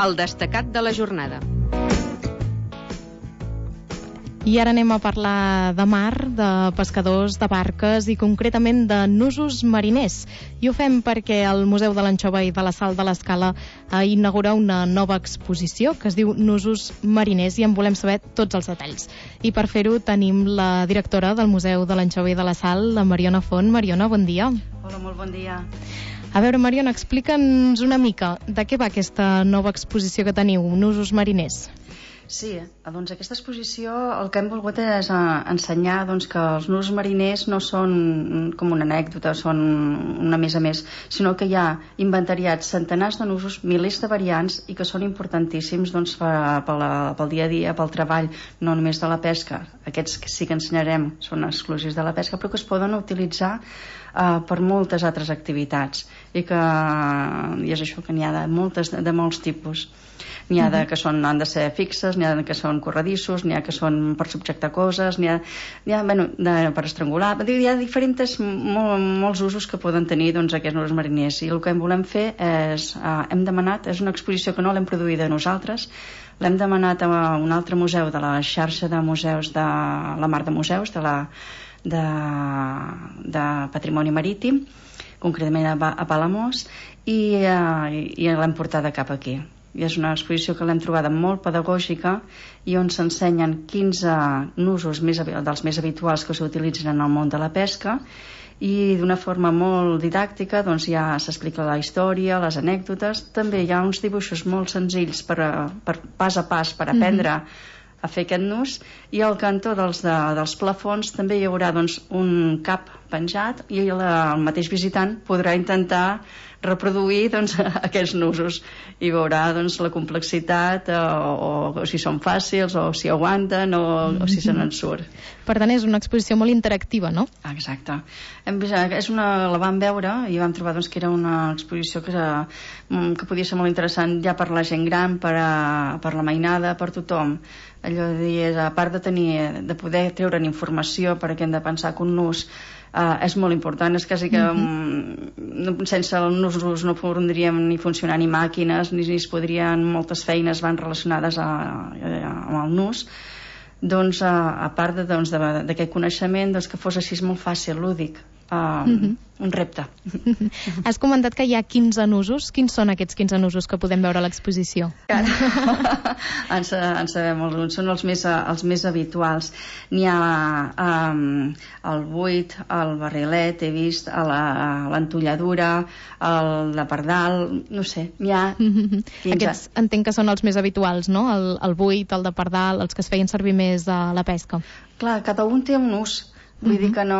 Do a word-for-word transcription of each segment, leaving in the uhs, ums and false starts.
el destacat de la jornada. I ara anem a parlar de mar, de pescadors, de barques i concretament de nusos mariners. I ho fem perquè el Museu de l'Anxova i de la Sal de l'Escala ha inaugurat una nova exposició que es diu Nusos mariners i en volem saber tots els detalls. I per fer-ho tenim la directora del Museu de l'Anxova i de la Sal, la Mariona Font. Mariona, bon dia. Hola, molt bon dia. A veure, Mariona, explica'ns una mica de què va aquesta nova exposició que teniu, Nusos mariners. Sí, doncs aquesta exposició el que hem volgut és ensenyar doncs, que els nusos mariners no són com una anècdota, són una més a més, sinó que hi ha inventariats centenars de nusos, milers de variants i que són importantíssims doncs, pel, pel dia a dia, pel treball, no només de la pesca. Aquests que sí que ensenyarem són exclusius de la pesca, però que es poden utilitzar uh, per moltes altres activitats i que i és això que n'hi ha de, moltes, de molts tipus. N'hi ha de que són, han de ser fixes, n'hi ha de que són corredissos, n'hi ha que són per subjectar coses, n'hi ha, n'hi ha bueno, de, per estrangular. Hi ha diferents, mol, molts usos que poden tenir doncs, aquests nusos mariners. I el que volem fer és, eh, hem demanat, és una exposició que no l'hem produïda nosaltres, l'hem demanat a un altre museu de la xarxa de museus de la Mar de Museus, de, la, de, de Patrimoni Marítim, concretament a, a Palamós, i, eh, i l'hem portada cap aquí. I és una exposició que l'hem trobada molt pedagògica i on s'ensenyen quinze nusos més, dels més habituals que s'utilitzen en el món de la pesca i d'una forma molt didàctica doncs ja s'explica la història, les anècdotes, també hi ha uns dibuixos molt senzills per, per pas a pas per aprendre mm-hmm. a fer aquest nus i al cantó dels, de, dels plafons també hi haurà doncs, un cap penjat i la, el mateix visitant podrà intentar reproduir doncs, aquests nusos i veurà doncs, la complexitat o, o, o si són fàcils o si aguanten o, o si se n'en surt. Per tant, és una exposició molt interactiva, no? Exacte. Hem vist, és una, la vam veure i vam trobar doncs, que era una exposició que, era, que podia ser molt interessant ja per la gent gran, per, a, per la mainada, per tothom. Allò de dir, a part de, tenir, de poder treure'n informació perquè hem de pensar que un nus Uh, és molt important, és quasi que mm-hmm. um, sense els nusos no podríem ni funcionar ni màquines ni, ni es podrien, moltes feines van relacionades a, a, amb el nus doncs uh, a part d'aquest de, doncs, coneixement doncs, que fos així molt fàcil, lúdic uh, mm-hmm. un repte. Has comentat que hi ha quinze nusos. Quins són aquests quinze nusos que podem veure a l'exposició? en, en sabem alguns, són els més, els més habituals. N'hi ha um, el buit, el barrilet, he vist l'entolladura, el de pardal, no sé, n'hi ha quinze. Aquests entenc que són els més habituals, no? El, el buit, el de pardal, els que es feien servir més a la pesca. Clar, cada un té un ús. Vull dir que no...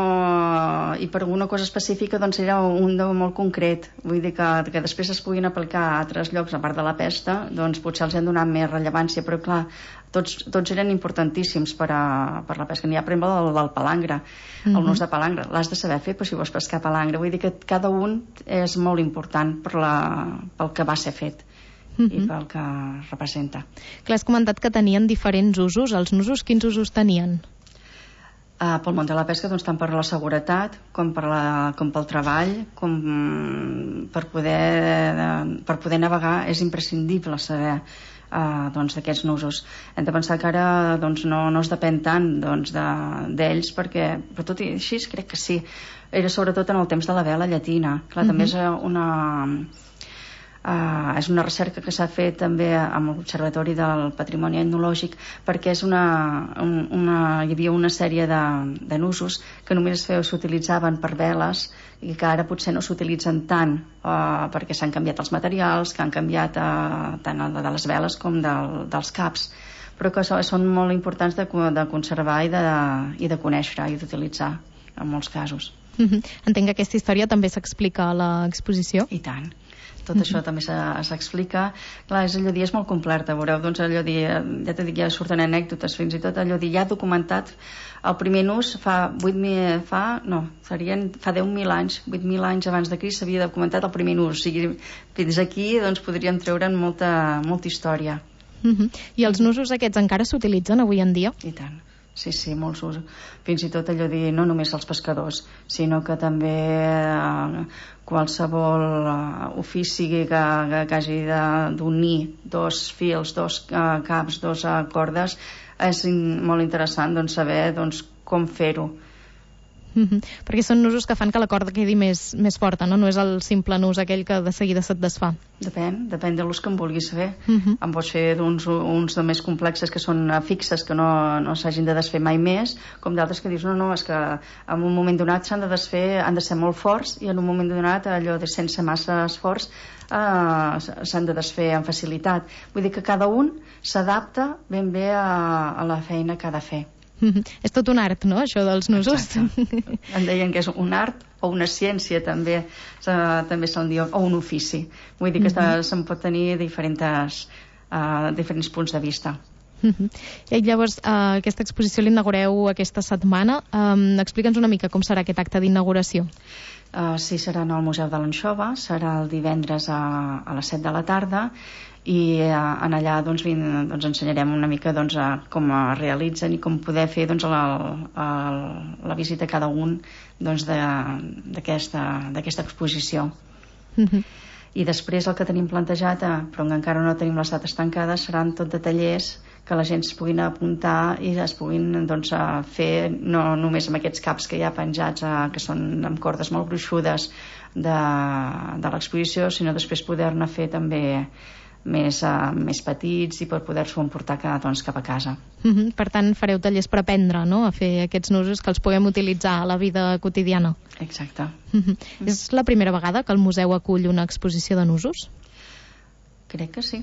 I per alguna cosa específica doncs era un de molt concret. Vull dir que, que després es puguin aplicar a altres llocs, a part de la pesca, doncs potser els han donat més rellevància, però clar, tots, tots eren importantíssims per, a, per la pesca. N'hi ha, per exemple, el del palangre, el nus de palangre. L'has de saber fer, però si vols pescar palangre. Vull dir que cada un és molt important per la, pel que va ser fet. Uh-huh. I pel que representa. Clar, has comentat que tenien diferents usos. Els nusos, quins usos tenien? Uh, pel món de la pesca, doncs, tant per la seguretat com, per la, com pel treball com per poder, per poder navegar és imprescindible saber uh, doncs, d'aquests nusos. Hem de pensar que ara doncs, no, no es depèn tant doncs, d'ells de, perquè, però tot i així crec que sí, era sobretot en el temps de la vela llatina. Clar, uh-huh. també és una Uh, és una recerca que s'ha fet també amb l'Observatori del Patrimoni Etnològic perquè és una, un, una, hi havia una sèrie de, de nusos que només s'utilitzaven per veles i que ara potser no s'utilitzen tant uh, perquè s'han canviat els materials, que han canviat uh, tant el de les veles com del, dels caps, però que són molt importants de, de conservar i de, i de conèixer i d'utilitzar en molts casos. Mm-hmm. Entenc que aquesta història també s'explica a l'exposició? I tant. Tot això també s'explica. Clar, és allò dir, és molt completa, veureu, doncs allò dir, ja t'he dit, ja surten anècdotes, fins i tot allò dir, ja documentat el primer nus fa vuit mil, fa, no, serien, fa deu mil anys, vuit mil anys abans de Crist s'havia documentat el primer nus, o sigui, fins aquí, doncs, podríem treure'n molta, molta història. Uh-huh. I els nusos aquests encara s'utilitzen avui en dia? I tant. Sí, sí, molts usos. Fins i tot allò dir, no només els pescadors, sinó que també eh, qualsevol eh, ofici que, que, que hagi d'unir dos fils, dos eh, caps, dos eh, cordes, és in, molt interessant doncs, saber doncs, com fer-ho. Mm-hmm. Perquè són nusos que fan que la corda quedi més, més forta, no? No és el simple nus aquell que de seguida se't desfà. Depèn, depèn de l'ús que en vulguis fer. Mm-hmm. En pots fer uns, uns de més complexes que són fixes, que no, no s'hagin de desfer mai més, com d'altres que dius, no, no, és que en un moment donat s'han de desfer, han de ser molt forts, i en un moment donat, allò de sense massa esforç, eh, s'han de desfer amb facilitat. Vull dir que cada un s'adapta ben bé a, a la feina que ha de fer. Mm-hmm. És tot un art, no?, això dels nusos. Exacte. Em deien que és un art o una ciència, també, també se'n diu, o un ofici. Vull dir que mm-hmm. se'n pot tenir diferents, uh, diferents punts de vista. Mm-hmm. I llavors, uh, aquesta exposició l'inaugureu aquesta setmana. Um, Explica'ns una mica com serà aquest acte d'inauguració. Uh, sí, serà al Museu de l'Anxova, serà el divendres a, a les set de la tarda, i eh, en allà doncs, vin, doncs, ensenyarem una mica doncs, a com es realitzen i com poder fer doncs, la, la, la visita a cada un doncs, d'aquesta exposició. Mm-hmm. I després el que tenim plantejat, eh, però encara no tenim les dates tancades, seran tot de tallers que la gent es puguin apuntar i es puguin doncs, fer no només amb aquests caps que hi ha penjats, eh, que són amb cordes molt gruixudes de, de l'exposició, sinó després poder-ne fer també més, uh, més petits i per poder-s'ho emportar cap, doncs, cap a casa. Mm-hmm. Per tant, fareu tallers per aprendre, no?, a fer aquests nusos que els puguem utilitzar a la vida quotidiana. Exacte. Mm-hmm. Mm. És la primera vegada que el museu acull una exposició de nusos? Crec que sí.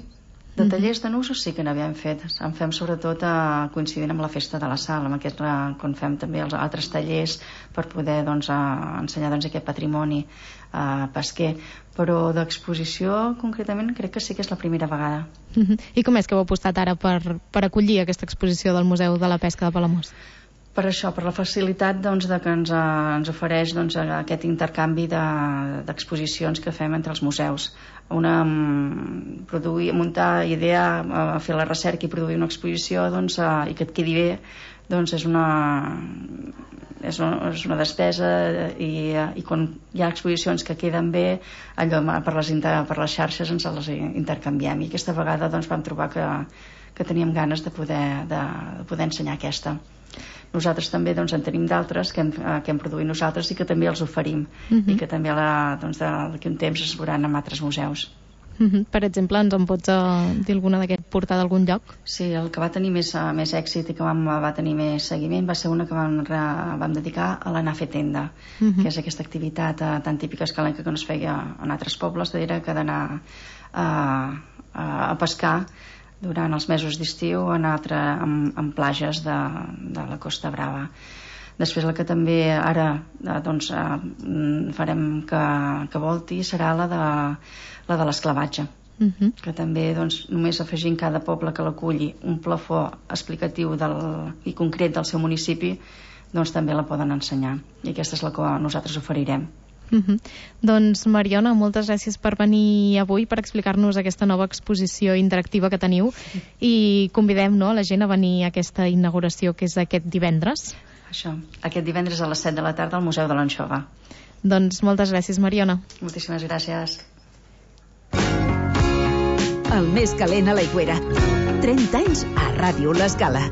De tallers de nusos sí que n'havíem fet. En fem sobretot eh, coincidint amb la festa de la sal, amb aquest, eh, quan fem també els altres tallers per poder doncs, eh, ensenyar doncs, aquest patrimoni eh, pesquer. Però d'exposició concretament crec que sí que és la primera vegada. Uh-huh. I com és que heu apostat ara per, per acollir aquesta exposició del Museu de la Pesca de Palamós? Per això, per la facilitat doncs, de que ens, eh, ens ofereix doncs, aquest intercanvi d'exposicions de, que fem entre els museus. Una, produir, muntar, idea, eh, fer la recerca i produir una exposició doncs, eh, i que et quedi bé, doncs és una, és una, és una despesa i, i quan hi ha exposicions que queden bé, allò per les, per les xarxes ens les intercanviem, i aquesta vegada doncs, vam trobar que, que teníem ganes de poder, de, de poder ensenyar aquesta. Nosaltres també doncs, en tenim d'altres que, que hem produït nosaltres i que també els oferim. Uh-huh. I que també la, doncs, d'aquí un temps es veuran en altres museus. Uh-huh. Per exemple, ens en pots uh, dir alguna d'aquest portar d'algun lloc? Sí, el que va tenir més, uh, més èxit i que vam, va tenir més seguiment va ser una que vam, vam dedicar a l'anar a fer tenda, uh-huh. que és aquesta activitat uh, tan típica escalenca que no es feia en altres pobles, era que d'anar uh, a pescar durant els mesos d'estiu en, altre, en, en plages de, de la Costa Brava. Després la que també ara doncs, farem que, que volti serà la de, la de l'esclavatge. Uh-huh. Que també doncs, només afegint cada poble que l'aculli un plafó explicatiu del, i concret del seu municipi, doncs també la poden ensenyar. I aquesta és la que nosaltres oferirem. Uh-huh. Doncs Mariona, moltes gràcies per venir avui per explicar-nos aquesta nova exposició interactiva que teniu i convidem, no, la gent a venir a aquesta inauguració que és aquest divendres. Això, aquest divendres a les set de la tarda al Museu de l'Anxova. Doncs moltes gràcies, Mariona. Moltíssimes gràcies. El més calent a l'Aigüera. trenta anys a Ràdio L'Escala.